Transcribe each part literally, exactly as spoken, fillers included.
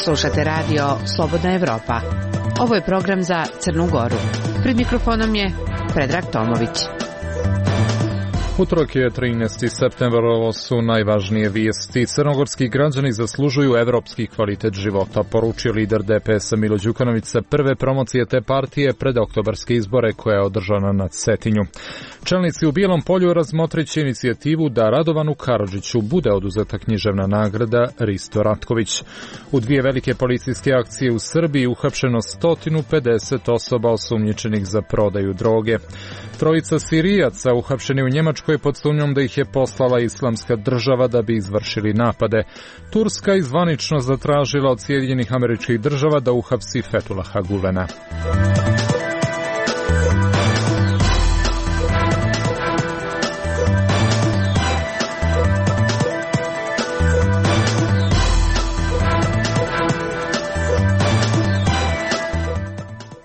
Slušate radio Slobodna Evropa. Ovo je program za Crnu Goru. Pred mikrofonom je Predrag Tomović. Utorak je trinaesti septembar, ovo su najvažnije vijesti. Crnogorski građani zaslužuju evropski kvalitet života, poručio lider D P S-a Milo Đukanović sa prve promocije te partije pred oktobarske izbore koja je održana na Cetinju. Čelnici u Bijelom Polju razmotrit će inicijativu da Radovanu Karadžiću bude oduzeta književna nagrada Risto Ratković. U dvije velike policijske akcije u Srbiji uhapšeno sto pedeset osoba osumnjičenih za prodaju droge. Trojica Sirijaca uhapšeni u Njemačkoj pod sumnjom da ih je poslala Islamska država da bi izvršili napade. Turska je zvanično zatražila od Sjedinjenih Američkih Država da uhapsi Fethullaha Gulena.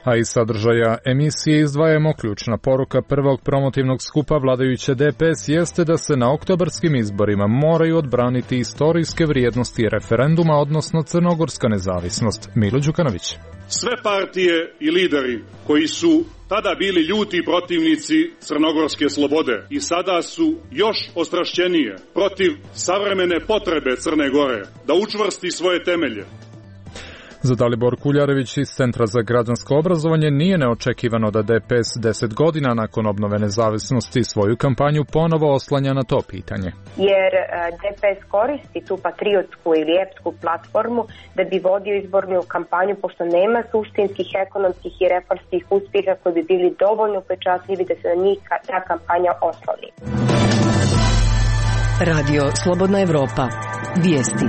A iz sadržaja emisije izdvajamo ključna poruka prvog promotivnog skupa vladajuće D P S jeste da se na oktobarskim izborima moraju odbraniti istorijske vrijednosti referenduma, odnosno crnogorska nezavisnost. Milo Đukanović. Sve partije i lideri koji su tada bili ljuti protivnici crnogorske slobode i sada su još ostrašćenije protiv savremene potrebe Crne Gore da učvrsti svoje temelje. Za Dalibor Kuljarević iz Centra za građansko obrazovanje nije neočekivano da D P S deset godina nakon obnove nezavisnosti svoju kampanju ponovo oslanja na to pitanje. Jer D P S koristi tu patriotsku ili epsku platformu da bi vodio izbornu kampanju, pošto nema suštinskih, ekonomskih i reformskih uspjeha koji bi bili dovoljno upečatljivi da se na njih ta kampanja osloni. Radio Slobodna Evropa. Vijesti.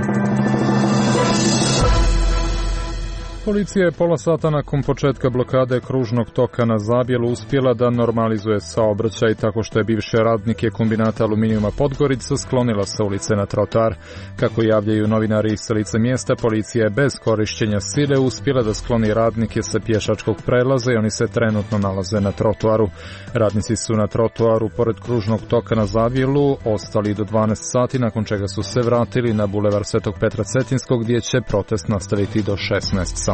Policija je pola sata nakon početka blokade kružnog toka na Zabjelu uspjela da normalizuje saobraćaj tako što je bivše radnike kombinata aluminijuma Podgorica sklonila sa ulice na trotoar. Kako javljaju novinari sa lice mjesta, policija je bez korišćenja sile uspjela da skloni radnike sa pješačkog prelaza i oni se trenutno nalaze na trotoaru. Radnici su na trotoaru pored kružnog toka na Zabjelu ostali do dvanaest sati, nakon čega su se vratili na bulevar Svetog Petra Cetinskog gdje će protest nastaviti do šesnaest sati.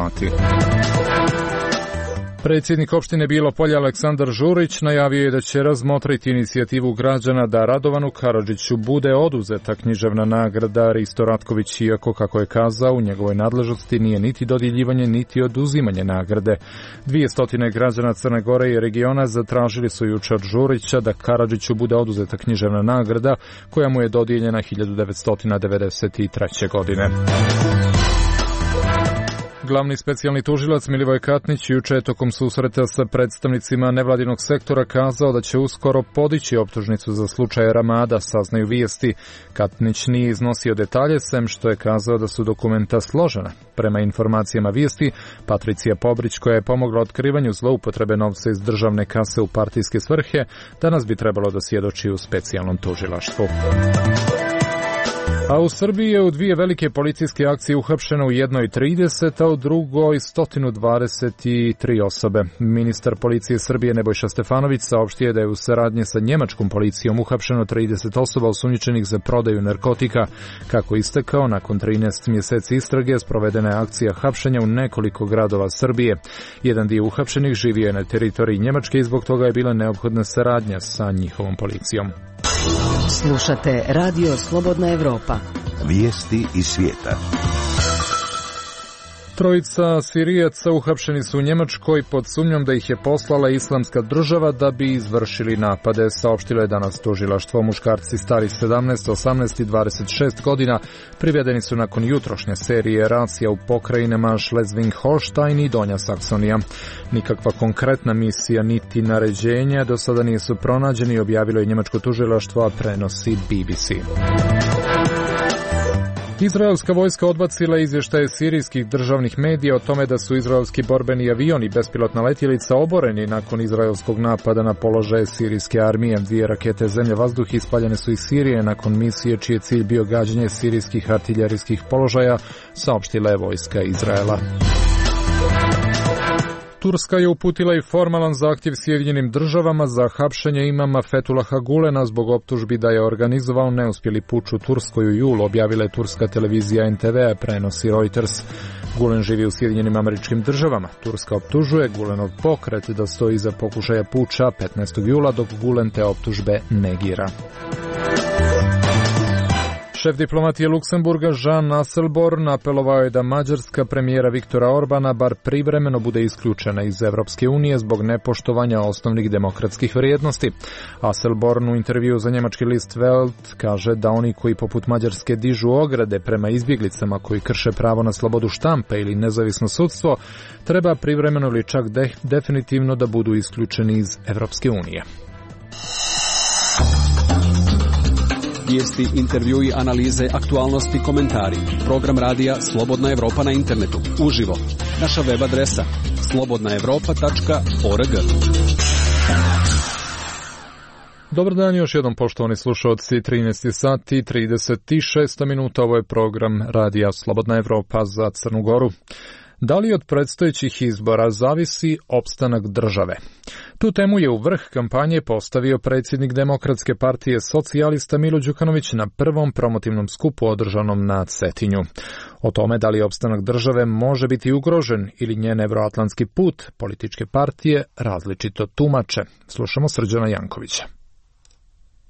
Predsjednik opštine Bijelo Polje Aleksandar Žurić najavio je da će razmotriti inicijativu građana da Radovanu Karadžiću bude oduzeta književna nagrada Risto Ratković, iako, kako je kazao, u njegovoj nadležnosti nije niti dodjeljivanje niti oduzimanje nagrade. Dvije stotine građana Crne Gore i regiona zatražili su jučer od Žurića da Karadžiću bude oduzeta književna nagrada koja mu je dodijeljena hiljadu devetsto devedeset treće. godine. Glavni specijalni tužilac Milivoj Katnić juče je tokom susreta sa predstavnicima nevladinog sektora kazao da će uskoro podići optužnicu za slučaj Ramada, saznaju vijesti. Katnić nije iznosio detalje, sem što je kazao da su dokumenta složena. Prema informacijama vijesti, Patricija Pobrić, koja je pomogla otkrivanju zloupotrebe novca iz državne kase u partijske svrhe, danas bi trebalo da svjedoči u specijalnom tužilaštvu. A u Srbiji je u dvije velike policijske akcije uhapšeno u jednoj trideset, a u drugoj sto dvadeset tri osobe. Ministar policije Srbije Nebojša Stefanović saopštio da je u saradnji sa njemačkom policijom uhapšeno trideset osoba osumnjičenih za prodaju narkotika. Kako istekao, nakon trinaest mjeseci istrage sprovedena je akcija hapšenja u nekoliko gradova Srbije. Jedan dio uhapšenih živio je na teritoriji Njemačke i zbog toga je bila neophodna saradnja sa njihovom policijom. Slušate Radio Slobodna Evropa. Vijesti iz svijeta. Trojica Sirijaca uhapšeni su u Njemačkoj pod sumnjom da ih je poslala Islamska država da bi izvršili napade, saopštilo je danas tužilaštvo. Muškarci stari sedamnaest, osamnaest i dvadeset šest godina privedeni su nakon jutrošnje serije racija u pokrajinama Schleswig-Holstein i Donja Saksonija. Nikakva konkretna misija niti naređenja do sada nisu pronađeni, objavilo je njemačko tužilaštvo, a prenosi B B C. Izraelska vojska odbacila izvještaje sirijskih državnih medija o tome da su izraelski borbeni avioni i bespilotna letjelica oboreni nakon izraelskog napada na položaje sirijske armije. Dvije rakete zemlje-vazduh ispaljene su iz Sirije nakon misije čiji je cilj bio gađanje sirijskih artiljerijskih položaja, saopštila je vojska Izraela. Turska je uputila i formalan zahtjev Sjedinjenim državama za hapšenje imama Fethullaha Gulena zbog optužbi da je organizovao neuspjeli puč u Turskoj u julu, objavila je turska televizija en te ve, prenosi Reuters. Gulen živi u Sjedinjenim Američkim Državama. Turska optužuje Gulenov pokret da stoji iza pokušaja puča petnaestog jula, dok Gulen te optužbe negira. Šef diplomatije Luksemburga Jean Asselborn apelovao je da mađarska premijera Viktora Orbana bar privremeno bude isključena iz Evropske unije zbog nepoštovanja osnovnih demokratskih vrijednosti. Asselborn u intervju za njemački list Welt kaže da oni koji poput Mađarske dižu ograde prema izbjeglicama koji krše pravo na slobodu štampe ili nezavisno sudstvo, treba privremeno ili čak de- definitivno da budu isključeni iz Evropske unije. Vijesti, intervjui, analize, aktualnosti, komentari. Program radija Slobodna Evropa na internetu. Uživo. Naša web adresa slobodna evropa tačka org. Dobar dan još jednom, poštovani slušalci. trinaest sati i trideset šest minuta. Ovo je program radija Slobodna Evropa za Crnu Goru. Da li od predstojećih izbora zavisi opstanak države? Tu temu je u vrh kampanje postavio predsjednik Demokratske partije socijalista Milo Đukanović na prvom promotivnom skupu održanom na Cetinju. O tome da li opstanak države može biti ugrožen ili njen evroatlantski put, političke partije različito tumače. Slušamo Srđana Jankovića.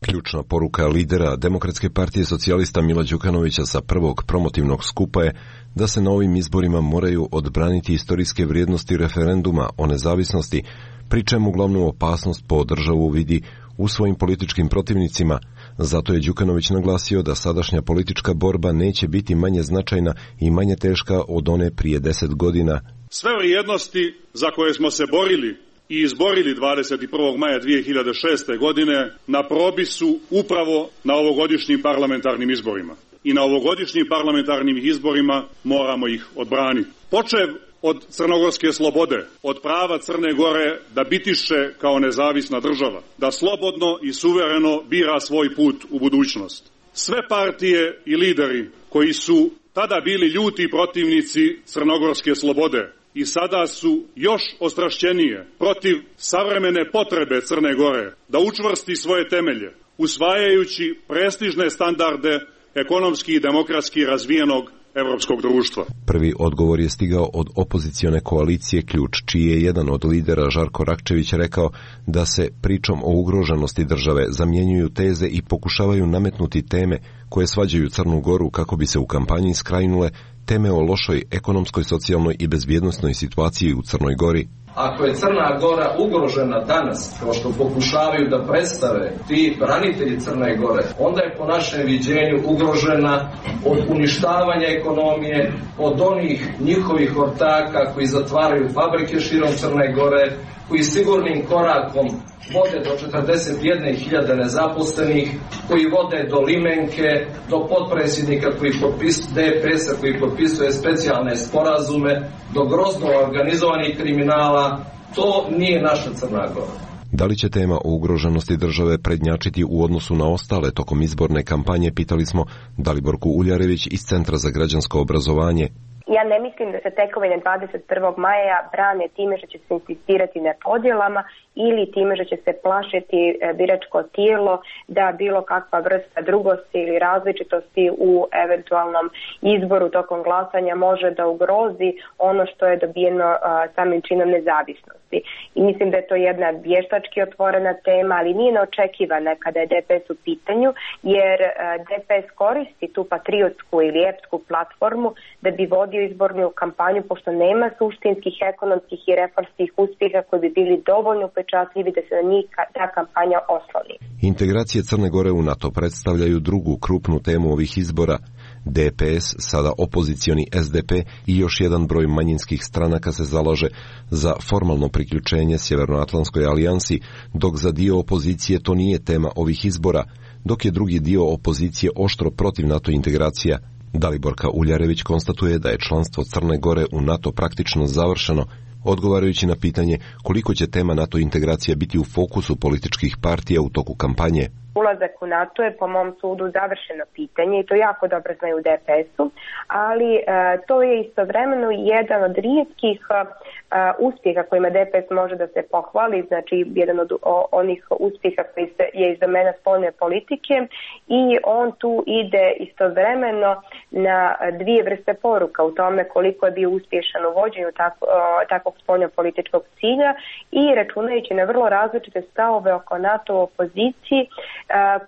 Ključna poruka lidera Demokratske partije socijalista Mila Đukanovića sa prvog promotivnog skupa je da se na ovim izborima moraju odbraniti istorijske vrijednosti referenduma o nezavisnosti, pri čemu glavnu opasnost po državu vidi u svojim političkim protivnicima. Zato je Đukanović naglasio da sadašnja politička borba neće biti manje značajna i manje teška od one prije deset godina. Sve vrijednosti za koje smo se borili i izborili dvadeset prvog maja dvije hiljade šeste. godine na probi su upravo na ovogodišnjim parlamentarnim izborima. I na ovogodišnjim parlamentarnim izborima moramo ih odbraniti. Počev od crnogorske slobode, od prava Crne Gore da bitiše kao nezavisna država, da slobodno i suvereno bira svoj put u budućnost. Sve partije i lideri koji su tada bili ljuti protivnici crnogorske slobode i sada su još ostrašćenije protiv savremene potrebe Crne Gore da učvrsti svoje temelje, usvajajući prestižne standarde ekonomski i demokratski razvijenog evropskog društva. Prvi odgovor je stigao od opozicione koalicije Ključ, čiji je jedan od lidera Žarko Rakčević rekao da se pričom o ugroženosti države zamjenjuju teze i pokušavaju nametnuti teme koje svađaju Crnu Goru kako bi se u kampanji skrajnule teme o lošoj ekonomskoj, socijalnoj i bezbjednosnoj situaciji u Crnoj Gori. Ako je Crna Gora ugrožena danas, kao što pokušavaju da predstave ti branitelji Crne Gore, onda je po našem viđenju ugrožena od uništavanja ekonomije, od onih njihovih ortaka koji zatvaraju fabrike širom Crne Gore, koji sigurnim korakom vode do četrdeset jedne hiljade nezaposlenih, koji vode do limenke, do potpredsjednika koji potpisuje de pe es-a koji potpisuje specijalne sporazume, do grozno organizovanih kriminala. To nije naša Crna Gora. Da li će tema o ugroženosti države prednjačiti u odnosu na ostale tokom izborne kampanje, pitali smo Daliborku Uljarević iz Centra za građansko obrazovanje. Ja ne mislim da se tekovine dvadeset prvog maja brane time što će se insistirati na podjelama ili time što će se plašiti biračko tijelo da bilo kakva vrsta drugosti ili različitosti u eventualnom izboru tokom glasanja može da ugrozi ono što je dobijeno samim činom nezavisnosti. I mislim da je to jedna vještački otvorena tema, ali nije neočekivana kada je de pe es u pitanju, jer de pe es koristi tu patriotsku ili epsku platformu da bi vodio izbornu kampanju, pošto nema suštinskih, ekonomskih i reformskih uspjeha koji bi bili dovoljno upečatljivi da se na njih ta kampanja osloni. Integracije Crne Gore u NATO predstavljaju drugu krupnu temu ovih izbora. de pe es, sada opozicioni es de pe i još jedan broj manjinskih stranaka se zalaže za formalno priključenje Sjevernoatlantskoj alijansi, dok za dio opozicije to nije tema ovih izbora, dok je drugi dio opozicije oštro protiv NATO integracija. Daliborka Uljarević konstatuje da je članstvo Crne Gore u NATO praktično završeno, odgovarajući na pitanje koliko će tema NATO integracija biti u fokusu političkih partija u toku kampanje. Ulazak u NATO je po mom sudu završeno pitanje i to jako dobro znaju u de pe es-u, ali e, to je istovremeno jedan od rijetkih e, uspjeha kojima D P S može da se pohvali, znači jedan od onih uspjeha koji se je iz domena spoljne politike, i on tu ide istovremeno na dvije vrste poruka u tome koliko je bio uspješan u vođenju tako, takvog spoljno-političkog cilja i računajući na vrlo različite stavove oko NATO opoziciji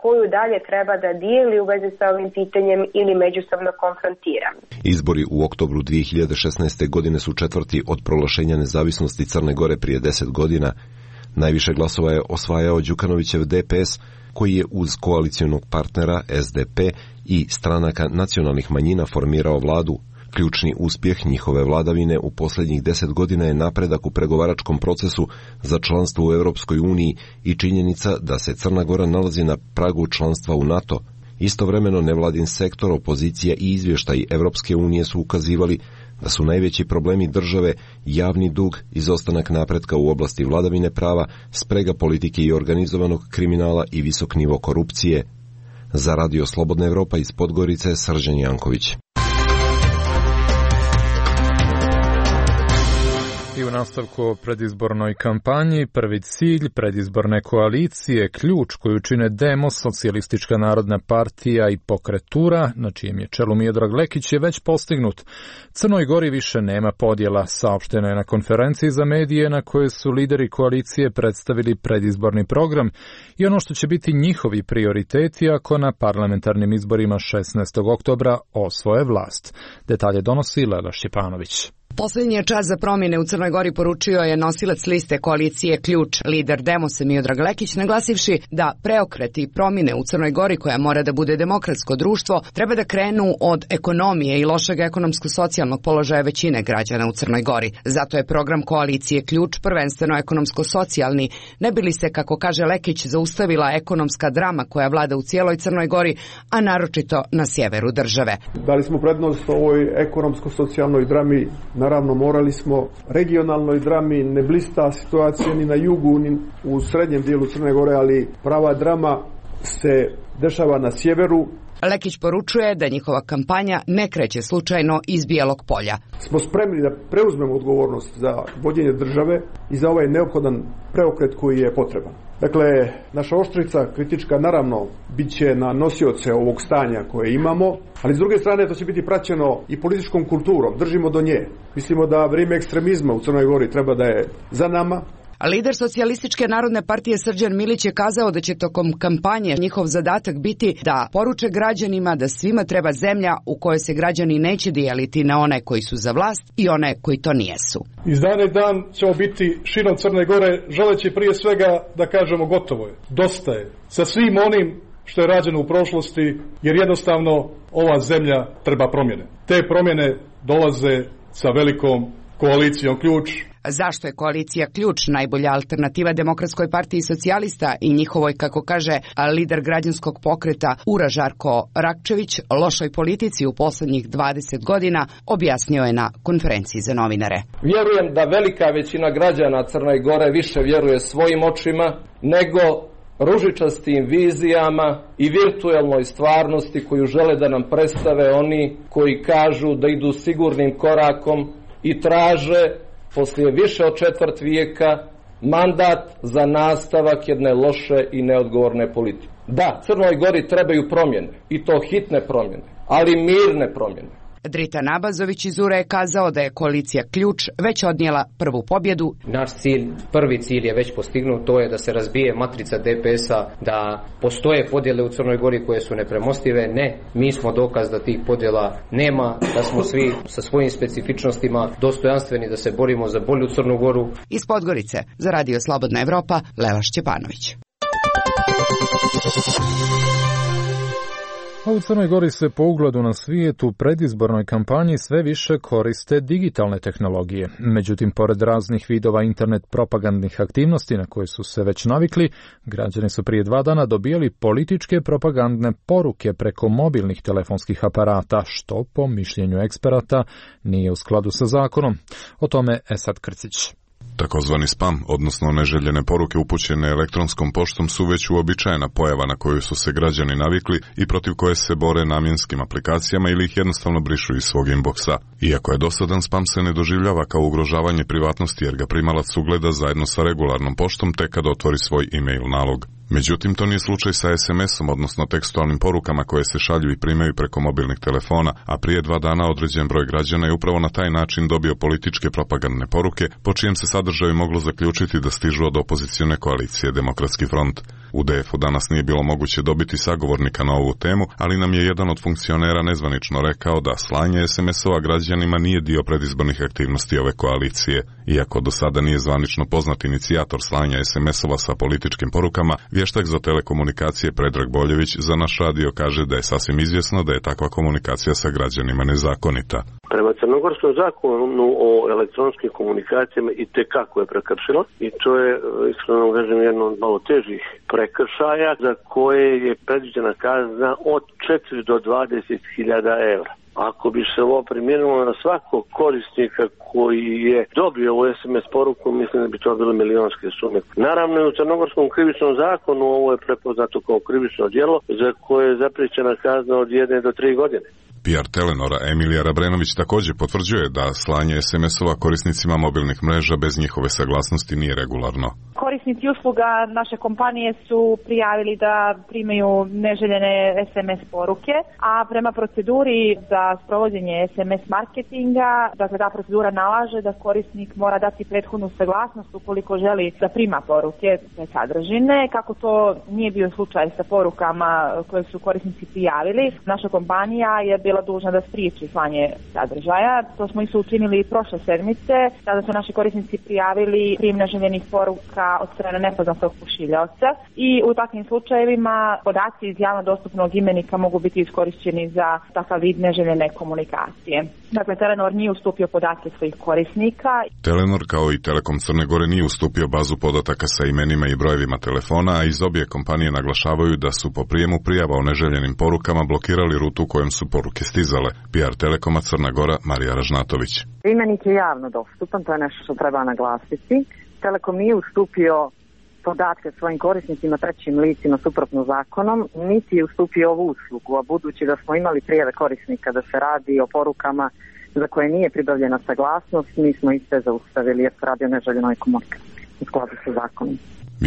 koju dalje treba da dijeli u vezi sa ovim pitanjem ili međusobno konfrontira. Izbori u oktobru dvije hiljade šesnaeste. godine su četvrti od proglašenja nezavisnosti Crne Gore prije deset godina. Najviše glasova je osvajao Đukanovićev D P S, koji je uz koalicijonog partnera S D P i stranaka nacionalnih manjina formirao vladu. Ključni uspjeh njihove vladavine u posljednjih deset godina je napredak u pregovaračkom procesu za članstvo u Europskoj uniji i činjenica da se Crna Gora nalazi na pragu članstva u NATO. Istovremeno nevladin sektor, opozicija i izvještaji Europske unije su ukazivali da su najveći problemi države javni dug, izostanak napretka u oblasti vladavine prava, sprega politike i organizovanog kriminala i visok nivo korupcije. Za Radio Slobodna Evropa iz Podgorice, Srđan Janković. I u nastavku o predizbornoj kampanji, prvi cilj predizborne koalicije, ključ koju čine Demos, Socijalistička narodna partija i Pokretura, na čijem je čelu Miodrag Lekić, je već postignut. Crnoj Gori više nema podjela, saopšteno je na konferenciji za medije na kojoj su lideri koalicije predstavili predizborni program i ono što će biti njihovi prioriteti ako na parlamentarnim izborima šesnaestog oktobra osvoje vlast. Detalje donosi Lela Šćepanović. Posljednji je čas za promjene u Crnoj Gori, poručio je nosilac liste koalicije Ključ, lider Demosa Miodrag Lekić, naglasivši da preokreti promjene u Crnoj Gori, koja mora da bude demokratsko društvo, treba da krenu od ekonomije i lošeg ekonomsko-socijalnog položaja većine građana u Crnoj Gori. Zato je program koalicije Ključ prvenstveno ekonomsko-socijalni, ne bi li se, kako kaže Lekić, zaustavila ekonomska drama koja vlada u cijeloj Crnoj Gori, a naročito na sjeveru države. Dali smo prednost ovoj ekonomsko-socijalnoj drami. Naravno, morali smo regionalnoj drami, ne blista situacija ni na jugu, ni u srednjem dijelu Crne Gore, ali prava drama se dešava na sjeveru. Lekić poručuje da njihova kampanja ne kreće slučajno iz Bijelog polja. Smo spremni da preuzmemo odgovornost za vođenje države i za ovaj neophodan preokret koji je potreban. Dakle, naša oštrica kritička naravno bit će na nosioce ovog stanja koje imamo, ali s druge strane to će biti praćeno i političkom kulturom, držimo do nje. Mislimo da vrijeme ekstremizma u Crnoj Gori treba da je za nama. A lider Socijalističke narodne partije Srđan Milić je kazao da će tokom kampanje njihov zadatak biti da poruče građanima da svima treba zemlja u kojoj se građani neće dijeliti na one koji su za vlast i one koji to nijesu. Iz dana i dan ćemo biti širom Crne Gore, želeći prije svega da kažemo gotovo je, dosta je sa svim onim što je rađeno u prošlosti, jer jednostavno ova zemlja treba promjene. Te promjene dolaze sa velikom koalicijom Ključ. Zašto je koalicija Ključ najbolja alternativa Demokratskoj partiji socijalista i njihovoj, kako kaže lider građanskog pokreta Ura Žarko Rakčević, lošoj politici u posljednjih dvadeset godina, objasnio je na konferenciji za novinare. Vjerujem da velika većina građana Crne Gore više vjeruje svojim očima nego ružičastim vizijama i virtualnoj stvarnosti koju žele da nam predstave oni koji kažu da idu sigurnim korakom i traže poslije više od četvrt vijeka mandat za nastavak jedne loše i neodgovorne politike. Da, Crnoj Gori trebaju promjene, i to hitne promjene, ali mirne promjene. Drita Nabazović iz Ure je kazao da je koalicija Ključ već odnijela prvu pobjedu. Naš cilj, prvi cilj je već postignut, to je da se razbije matrica D P S-a, da postoje podjele u Crnoj Gori koje su nepremostive. Ne, mi smo dokaz da tih podjela nema, da smo svi sa svojim specifičnostima dostojanstveni da se borimo za bolju Crnu Goru. Iz Podgorice, za Radio Slobodna Evropa, Lela Šćepanović. A u Crnoj Gori se po ugledu na svijet u predizbornoj kampanji sve više koriste digitalne tehnologije. Međutim, pored raznih vidova internet propagandnih aktivnosti na koje su se već navikli, građani su prije dva dana dobijali političke propagandne poruke preko mobilnih telefonskih aparata, što po mišljenju eksperata nije u skladu sa zakonom. O tome Esad Krcić. Takozvani spam, odnosno neželjene poruke upućene elektronskom poštom, su već uobičajena pojava na koju su se građani navikli i protiv koje se bore namjenskim aplikacijama ili ih jednostavno brišu iz svog inboxa. Iako je dosadan, spam se ne doživljava kao ugrožavanje privatnosti jer ga primalac ugleda zajedno sa regularnom poštom tek kada otvori svoj e-mail nalog. Međutim, to nije slučaj sa es em esom, odnosno tekstualnim porukama koje se šalju i primaju preko mobilnih telefona, a prije dva dana određen broj građana je upravo na taj način dobio političke propagandne poruke, po čijem se sadržaju moglo zaključiti da stižu od opozicione koalicije Demokratski front. U de efu danas nije bilo moguće dobiti sagovornika na ovu temu, ali nam je jedan od funkcionera nezvanično rekao da slanje es em esova građanima nije dio predizbornih aktivnosti ove koalicije. Iako do sada nije zvanično poznat inicijator slanja es em esova sa političkim porukama, vještak za telekomunikacije Predrag Boljević za naš radio kaže da je sasvim izvjesno da je takva komunikacija sa građanima nezakonita. Prema crnogorskom zakonu o elektronskim komunikacijama i tekako je prekršilo i to je, iskreno kažem, jedno od malo težih prekršaja za koje je predviđena kazna od četiri do dvadeset hiljada evra. Ako bi se ovo primijenilo na svakog korisnika koji je dobio ovu es em es poruku, mislim da bi to bile milionske sume. Naravno, i u crnogorskom krivičnom zakonu ovo je prepoznato kao krivično djelo za koje je zapriječena kazna od jedne do tri godine. P R Telenora Emilija Rabrenović također potvrđuje da slanje es em esova korisnicima mobilnih mreža bez njihove saglasnosti nije regularno. Korisnici usluga naše kompanije su prijavili da primaju neželjene es em es poruke, a prema proceduri za sprovođenje es em es marketinga, dakle ta procedura nalaže da korisnik mora dati prethodnu saglasnost ukoliko želi da prima poruke te sadržine. Kako to nije bio slučaj sa porukama koje su korisnici prijavili, naša kompanija je bila dužna da spriječi slanje sadržaja. To smo isto učinili prošle sedmice, tada su naši korisnici prijavili prijem neželjenih poruka od strane nepoznatog pošiljaoca i u takvim slučajevima podaci iz javno dostupnog imenika mogu biti iskorišćeni za takav vid neželjene komunikacije. Dakle, Telenor nije ustupio podatke svojih korisnika. Telenor kao i Telekom Crne Gore nije ustupio bazu podataka sa imenima i brojevima telefona, a iz obje kompanije naglašavaju da su po prijemu prijava o neželjenim porukama blokirali rutu kojom su poruke stizale. P R Telekoma Crna Gora Marija Ražnatović. Imenik je javno dostupan, to je nešto što treba naglasiti. Telekom nije ustupio podatke svojim korisnicima trećim licima suprotno zakonom, niti je ustupio ovu uslugu, a budući da smo imali prijave korisnika da se radi o porukama za koje nije pribavljena saglasnost, mi smo iste zaustavili jer se radi o neželjenoj komunikaciji u skladu sa zakonom.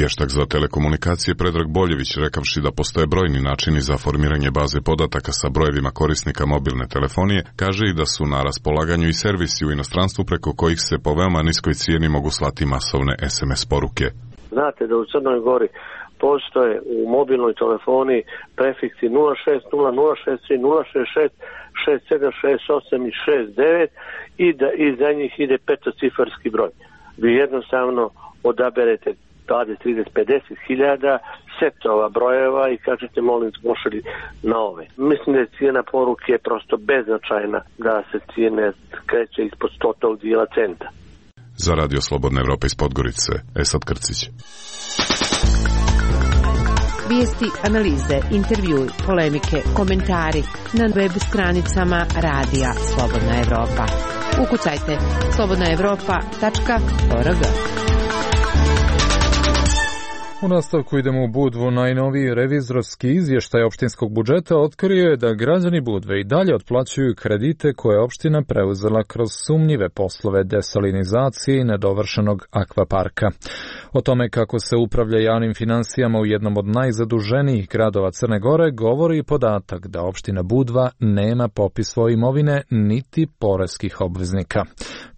Vještak za telekomunikacije Predrag Boljević, rekavši da postoje brojni načini za formiranje baze podataka sa brojevima korisnika mobilne telefonije, kaže i da su na raspolaganju i servisi u inostranstvu preko kojih se po veoma niskoj cijeni mogu slati masovne es em es poruke. Znate da u Crnoj Gori postoje u mobilnoj telefoniji prefiksi nula šest nula nula šest tri nula šest šest šest sedam šest osam i šest devet i da iza njih ide petocifarski broj. Vi jednostavno odaberete dvadeset, trideset, pedeset hiljada setova brojeva i kažete molim možete na ove. Mislim da je cijena poruke prosto beznačajna, da se cijene kreće ispod stotog dijela centa. Za Radio Slobodna Evropa iz Podgorice, Esad Krcić. Vijesti, analize, intervjui, polemike, komentari na web stranicama Radija Slobodna Evropa. Ukucajte slobodna evropa tačka org. U nastavku idemo u Budvu. Najnoviji revizorski izvještaj opštinskog budžeta otkrio je da građani Budve i dalje otplaćuju kredite koje je opština preuzela kroz sumnjive poslove desalinizacije i nedovršenog akvaparka. O tome kako se upravlja javnim finansijama u jednom od najzaduženijih gradova Crne Gore govori i podatak da opština Budva nema popis svoje imovine niti poreskih obveznika.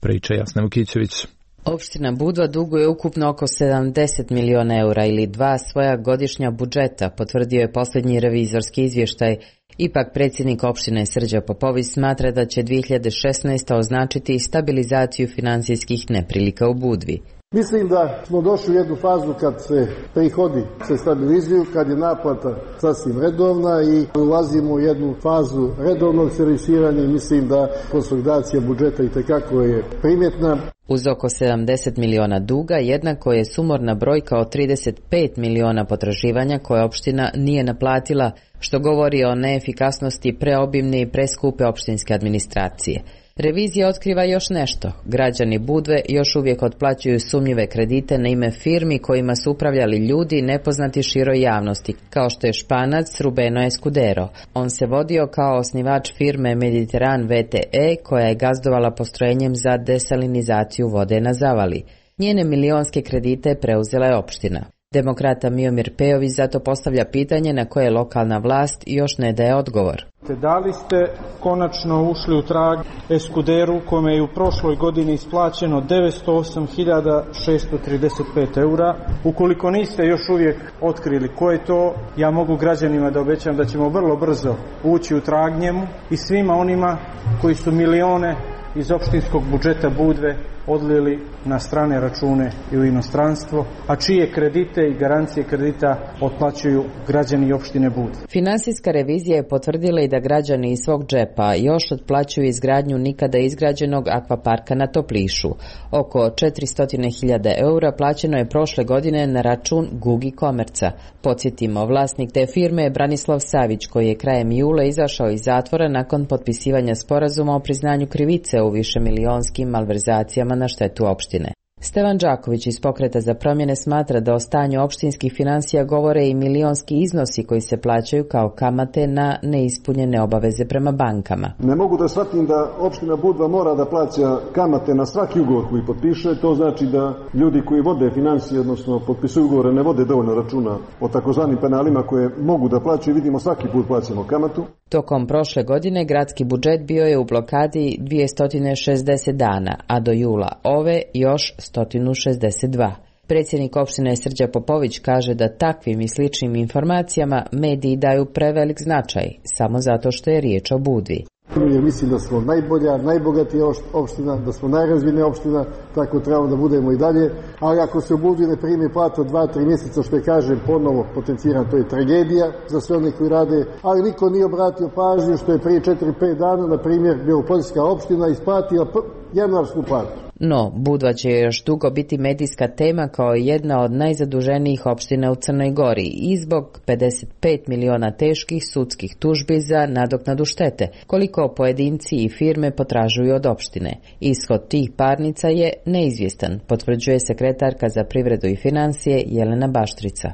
Priča Jasna Vukićević. Opština Budva duguje ukupno oko sedamdeset miliona eura ili dva svoja godišnja budžeta, potvrdio je posljednji revizorski izvještaj. Ipak predsjednik opštine Srđa Popović smatra da će dvije hiljade šesnaeste. označiti stabilizaciju finansijskih neprilika u Budvi. Mislim da smo došli u jednu fazu kad se prihodi se stabilizuju, kad je naplata sasvim redovna i ulazimo u jednu fazu redovnog servisiranja i mislim da konsolidacija budžeta itekako je primjetna. Uz oko sedamdeset miliona duga jednako je sumorna brojka od trideset pet miliona potraživanja koje opština nije naplatila, što govori o neefikasnosti preobimne i preskupe opštinske administracije. Revizija otkriva još nešto. Građani Budve još uvijek otplaćuju sumnjive kredite na ime firmi kojima su upravljali ljudi nepoznati široj javnosti, kao što je Španac Rubeno Escudero. On se vodio kao osnivač firme Mediteran V T E koja je gazdovala postrojenjem za desalinizaciju vode na Zavali. Njene milionske kredite preuzela je opština. Demokrata Miomir Pejović zato postavlja pitanje na koje lokalna vlast još ne daje odgovor. Da li ste konačno ušli u trag Escuderu kome je u prošloj godini isplaćeno devetsto osam hiljada šesto trideset pet eura? Ukoliko niste još uvijek otkrili ko je to, ja mogu građanima da obećam da ćemo vrlo brzo ući u trag njemu i svima onima koji su milione iz opštinskog budžeta Budve odlili na strane račune i u inostranstvo, a čije kredite i garancije kredita otplaćuju građani opštine Budve. Finansijska revizija je potvrdila i da građani iz svog džepa još otplaćuju izgradnju nikada izgrađenog akvaparka na Toplišu. Oko četiristo hiljada eura plaćeno je prošle godine na račun Gugi Komerca. Podsjetimo, vlasnik te firme je Branislav Savić, koji je krajem jula izašao iz zatvora nakon potpisivanja sporazuma o priznanju krivice u višemilionskim malverzacijama na štetu opštine. Stevan Đaković iz Pokreta za promjene smatra da o stanju opštinskih financija govore i milionski iznosi koji se plaćaju kao kamate na neispunjene obaveze prema bankama. Ne mogu da shvatim da opština Budva mora da plaća kamate na svaki ugovor koji potpiše. To znači da ljudi koji vode financije, odnosno potpisuju ugovore, ne vode dovoljno računa o takozvanim penalima koje mogu da plaćaju. Vidimo, svaki put plaćamo kamatu. Tokom prošle godine gradski budžet bio je u blokadi dvjesto šezdeset dana, a do jula ove još sto šezdeset dva. Predsjednik opštine Srđa Popović kaže da takvim i sličnim informacijama mediji daju prevelik značaj, samo zato što je riječ o Budvi. Ja mislim da smo najbolja, najbogatija opština, da smo najrazvijenija opština, tako trebamo da budemo i dalje, ali ako se u Budvi ne primi plata dva, tri mjeseca, što je kažem ponovo potenciran, to je tragedija za sve one koji rade, ali niko nije obratio pažnju što je prije četiri pet dana, na primjer, Belopoljska opština isplatila januarsku platu. No, Budva će još dugo biti medijska tema kao jedna od najzaduženijih opština u Crnoj Gori i zbog pedeset pet miliona teških sudskih tužbi za nadoknadu štete, koliko pojedinci i firme potražuju od opštine. Ishod tih parnica je neizvjestan, potvrđuje sekretarka za privredu i financije Jelena Baštrica.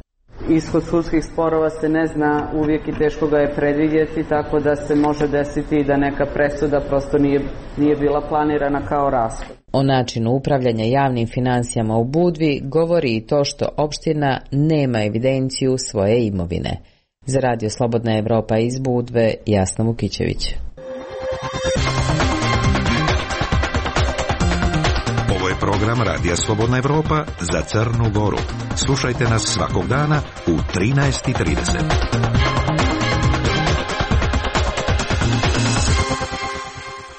Ishod sudskih sporova se ne zna uvijek i teško ga je predvidjeti, tako da se može desiti da neka presuda prosto nije, nije bila planirana kao rashod. O načinu upravljanja javnim financijama u Budvi govori i to što opština nema evidenciju svoje imovine. Za Radio Slobodna Evropa iz Budve, Jasna Vukićević. Ovo je program Radija Slobodna Evropa za Crnu Goru. Slušajte nas svakog dana u trinaest i trideset.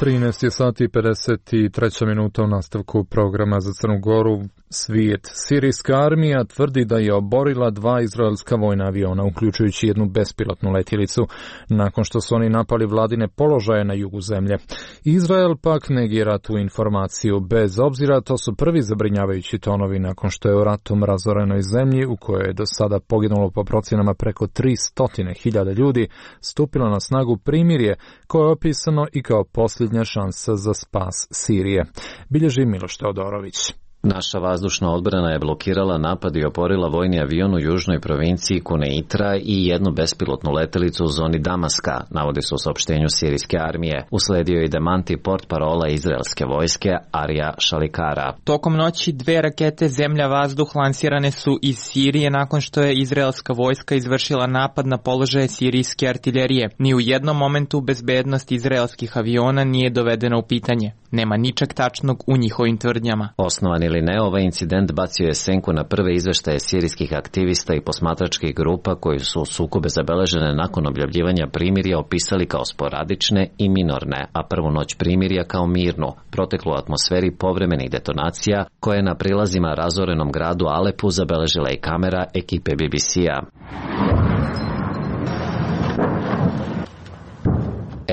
trinaest sati i pedeset tri minuta u nastavku programa za Crnu Goru. Svijet. Sirijska armija tvrdi da je oborila dva izraelska vojna aviona, uključujući jednu bespilotnu letjelicu, nakon što su oni napali vladine položaje na jugu zemlje. Izrael pak negira tu informaciju. Bez obzira, to su prvi zabrinjavajući tonovi nakon što je u ratom razorenoj zemlji, u kojoj je do sada poginulo po procjenama preko tristo hiljada ljudi, stupilo na snagu primirje koje je opisano i kao posljednja šansa za spas Sirije. Bilježi Miloš Teodorović. Naša vazdušna odbrana je blokirala napad i oporila vojni avion u južnoj provinciji Kuneitra i jednu bespilotnu letelicu u zoni Damaska, navodi se u saopštenju sirijske armije. Usledio je i demanti portparola izraelske vojske Arija Šalikara. Tokom noći dve rakete zemlja-vazduh lansirane su iz Sirije nakon što je izraelska vojska izvršila napad na položaje sirijske artiljerije. Ni u jednom momentu bezbednost izraelskih aviona nije dovedena u pitanje. Nema ničeg tačnog u njihovim tvrdnjama. Osnovan ili ne, ovaj incident bacio je senku na prve izveštaje sirijskih aktivista i posmatračkih grupa koji su sukobe zabeležene nakon objavljivanja primirja opisali kao sporadične i minorne, a prvu noć primirja kao mirnu, proteklu atmosferi povremenih detonacija koje je na prilazima razorenom gradu Alepu zabeležila i kamera ekipe B B C-a.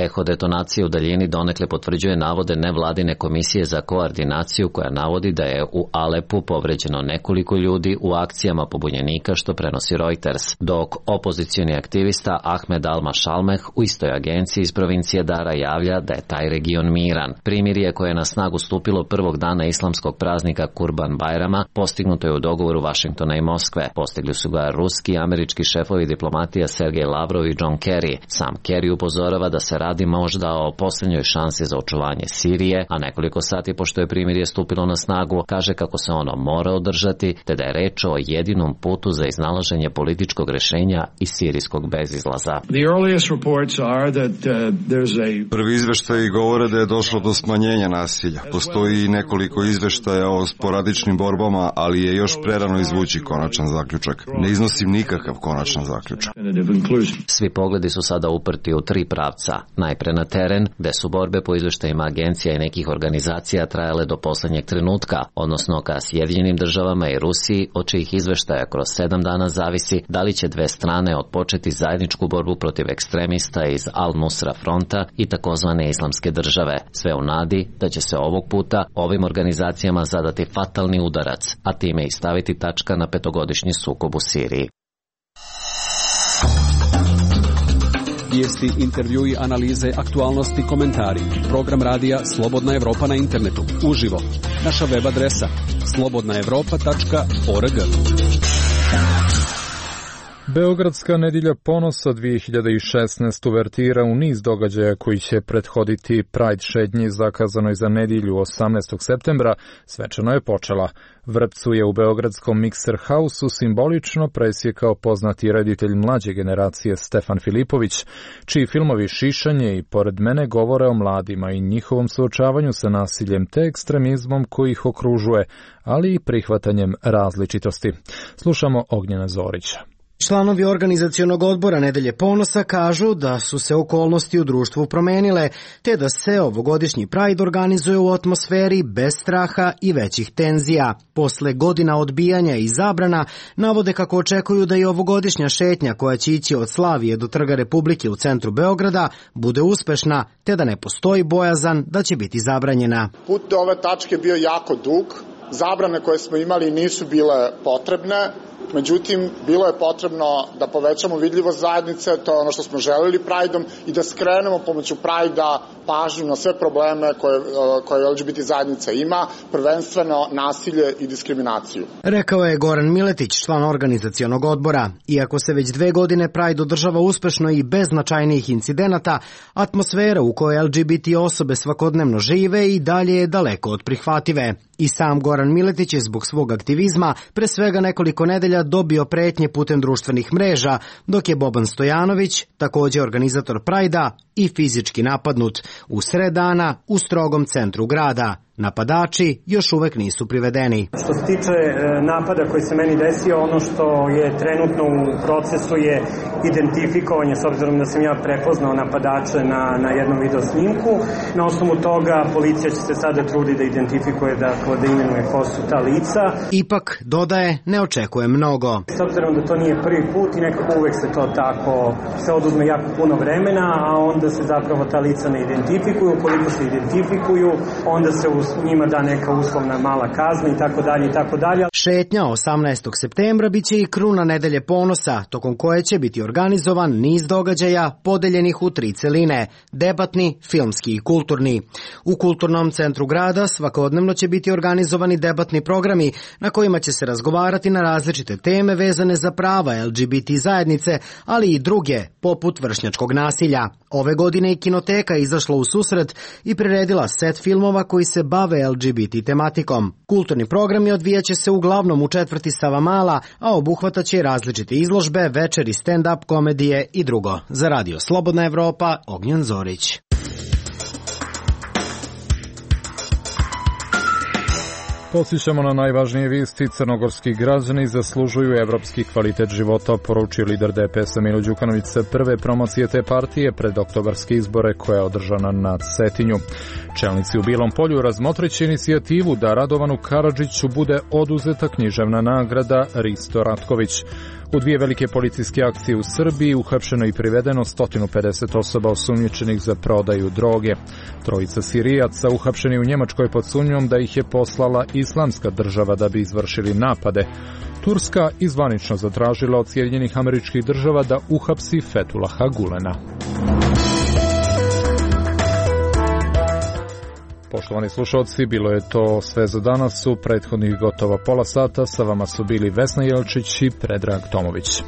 Eho detonacije u daljini donekle potvrđuje navode nevladine komisije za koordinaciju koja navodi da je u Alepu povređeno nekoliko ljudi u akcijama pobunjenika što prenosi Reuters, dok opozicioni aktivista Ahmed Al-Mashalmeh u istoj agenciji iz provincije Dara javlja da je taj region miran. Primirje koje je na snagu stupilo prvog dana islamskog praznika Kurban Bajrama postignuto je u dogovoru Vašingtona i Moskve. Postigli su ga ruski i američki šefovi diplomatija Sergej Lavrov i John Kerry. Sam Kerry upozorava da se radi možda o posljednjoj šansi za očuvanje Sirije, a nekoliko sati pošto je primirje stupilo na snagu, kaže kako se ono mora održati, te da je reč o jedinom putu za iznalaženje političkog rešenja i sirijskog bezizlaza. Prvi izveštaji govore da je došlo do smanjenja nasilja. Postoji nekoliko izveštaja o sporadičnim borbama, ali je još prerano izvući konačan zaključak. Ne iznosim nikakav konačan zaključak. Svi pogledi su sada uprti u tri pravca. Najpre na teren, gde su borbe po izveštajima agencija i nekih organizacija trajale do poslednjeg trenutka, odnosno ka Sjedinjenim državama i Rusiji, od čijih izveštaja kroz sedam dana zavisi da li će dve strane otpočeti zajedničku borbu protiv ekstremista iz Al-Nusra fronta i takozvane islamske države, sve u nadi da će se ovog puta ovim organizacijama zadati fatalni udarac, a time i staviti tačka na petogodišnji sukob u Siriji. Vijesti, intervjui, analize, aktualnosti, komentari. Program radija Slobodna Evropa na internetu. Uživo. Naša web adresa slobodna evropa tačka org. Beogradska nedjelja ponosa dvije hiljade šesnaeste uvertira u niz događaja koji će prethoditi Pride šetnji zakazanoj za nedjelju osamnaestog septembra, svečano je počela. Vrpcu je u beogradskom Mixer House-u simbolično presjekao poznati reditelj mlađe generacije Stefan Filipović, čiji filmovi Šišanje i Pored mene govore o mladima i njihovom suočavanju sa nasiljem te ekstremizmom koji ih okružuje, ali i prihvatanjem različitosti. Slušamo Ognjena Zorića. Članovi organizacionog odbora Nedelje ponosa kažu da su se okolnosti u društvu promenile, te da se ovogodišnji Pride organizuje u atmosferi bez straha i većih tenzija. Posle godina odbijanja i zabrana, navode kako očekuju da i ovogodišnja šetnja koja će ići od Slavije do Trga Republike u centru Beograda bude uspešna, te da ne postoji bojazan da će biti zabranjena. Put do ove tačke bio jako dug, zabrane koje smo imali nisu bile potrebne. Međutim, bilo je potrebno da povećamo vidljivost zajednice, to je ono što smo želeli Prideom, i da skrenemo pomoću Pridea pažnju na sve probleme koje, koje L G B T zajednica ima, prvenstveno nasilje i diskriminaciju. Rekao je Goran Miletić, član organizacionog odbora. Iako se već dve godine Pride održava uspešno i bez značajnijih incidenata, atmosfera u kojoj L G B T osobe svakodnevno žive i dalje je daleko od prihvative. I sam Goran Miletić je zbog svog aktivizma pre svega nekoliko nedelja dobio pretnje putem društvenih mreža, dok je Boban Stojanović, također organizator Prajda, i fizički napadnut u sred dana u strogom centru grada. Napadači još uvek nisu privedeni. Što se tiče napada koji se meni desio, ono što je trenutno u procesu je identifikovanje, s obzirom da sam ja prepoznao napadače na, na jednom video snimku. Na osnovu toga policija će se sada trudi da identifikuje, dakle, da imenuje ko su ta lica. Ipak, dodaje, ne očekuje mnogo. S obzirom da to nije prvi put i nekako uvek se to tako, se oduzme jako puno vremena, a onda se zapravo ta lica ne identifikuju. Koliko se identifikuju, onda se u njima da neka uslovna mala kazna i tako dalje i tako dalje. Šetnja osamnaestog septembra biće i kruna Nedelje ponosa, tokom koje će biti organizovan niz događaja podeljenih u tri celine, debatni, filmski i kulturni. U kulturnom centru grada svakodnevno će biti organizovani debatni programi na kojima će se razgovarati na različite teme vezane za prava L G B T zajednice, ali i druge, poput vršnjačkog nasilja. Ove godine i Kinoteka izašla u susret i priredila set filmova koji se bave L G B T tematikom. Kulturni programi odvijaće se uglavnom u četvrti Savamala, a obuhvataće različite izložbe, večeri, stand-up komedije i drugo. Za Radio Slobodna Evropa, Ognjen Zorić. Podsjećamo na najvažnije vijesti. Crnogorski građani zaslužuju evropski kvalitet života, poručio lider D P S-a Milo Đukanović sa prve promocije te partije pred oktobarske izbore koja je održana na Cetinju. Čelnici u Bilom Polju razmotrit će inicijativu da Radovanu Karadžiću bude oduzeta književna nagrada Risto Ratković. U dvije velike policijske akcije u Srbiji uhapšeno i privedeno sto pedeset osoba osumnjičenih za prodaju droge. Trojica Sirijaca uhapšeni u Njemačkoj pod sumnjom da ih je poslala Islamska država da bi izvršili napade. Turska izvanično zatražila od Sjedinjenih Američkih Država da uhapsi Fethulaha Gulena. Poštovani slušalci, bilo je to sve za danas. U prethodnih gotovo pola sata sa vama su bili Vesna Jelčić i Predrag Tomović.